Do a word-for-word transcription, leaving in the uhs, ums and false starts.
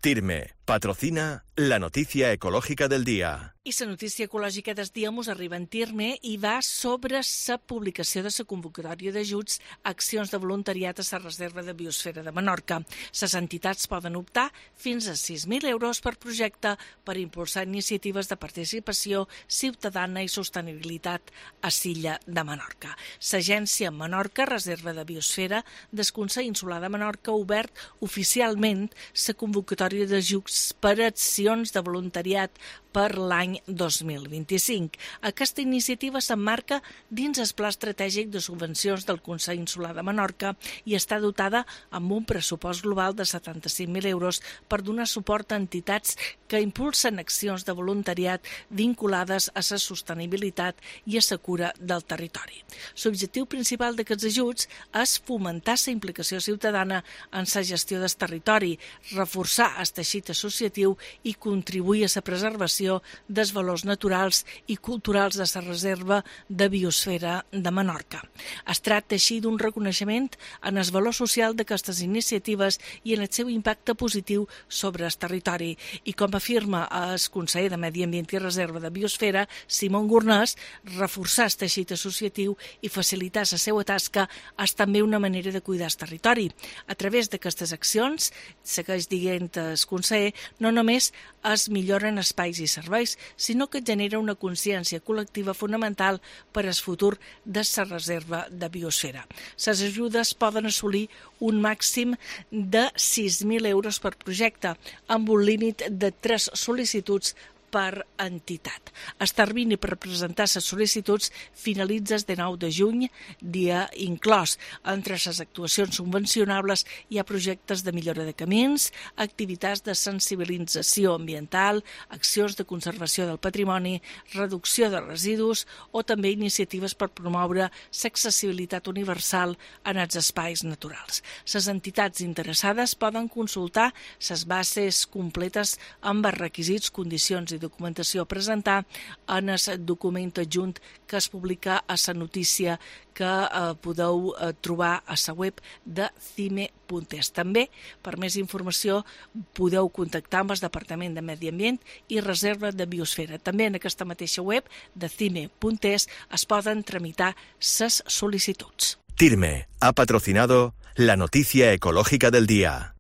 Tirme patrocina la noticia ecològica del dia. I la notícia ecològica del dia mos arriba en Tirme i va sobre la publicació de la convocatòria d'ajuts a accions de voluntariat a la Reserva de Biosfera de Menorca. Les entitats poden optar fins a sis mil euros per projecte per impulsar iniciatives de participació ciutadana i sostenibilitat a l'illa de Menorca. L'Agència Menorca Reserva de Biosfera del Consell Insular de Menorca ha obert oficialment la convocatòria d'ajuts per a accions de voluntariat per l'any dos mil vint-i-cinc. Aquesta iniciativa s'emmarca dins el Pla Estratègic de Subvencions del Consell Insular de Menorca i està dotada amb un pressupost global de setanta-cinc mil euros per donar suport a entitats que impulsen accions de voluntariat vinculades a la sostenibilitat i a la cura del territori. L'objectiu principal d'aquests ajuts és fomentar la implicació ciutadana en la gestió del territori, reforçar el teixit associatiu i contribuir a la preservació dels valors naturals i culturals de la Reserva de Biosfera de Menorca. Es tracta així d'un reconeixement en el valor social d'aquestes iniciatives i en el seu impacte positiu sobre el territori. I com afirma el conseller de Medi Ambient i Reserva de Biosfera, Simon Gornès, reforçar el teixit associatiu i facilitar la seva tasca és també una manera de cuidar el territori. A través d'aquestes accions, segueix dient el conseller, no només es milloren espais i serveis, sinó que genera una consciència col·lectiva fonamental per al futur de la Reserva de Biosfera. Les ajudes poden assolir un màxim de sis mil euros per projecte, amb un límit de tres sol·licituds per entitat. El termini per presentar les sol·licituds finalitza el dinou de juny, dia inclòs. Entre les actuacions subvencionables hi ha projectes de millora de camins, activitats de sensibilització ambiental, accions de conservació del patrimoni, reducció de residus o també iniciatives per promoure l'accessibilitat universal en els espais naturals. Les entitats interessades poden consultar les bases completes amb els requisits, condicions i documentació a presentar en el document adjunt que es publica a la notícia que eh, podeu eh, trobar a la web de cime punt es. També, per més informació, podeu contactar amb el Departament de Medi Ambient i Reserva de Biosfera. També en aquesta mateixa web de cime punt es es poden tramitar les sol·licituds. Tirme ha patrocinado la noticia ecológica del día.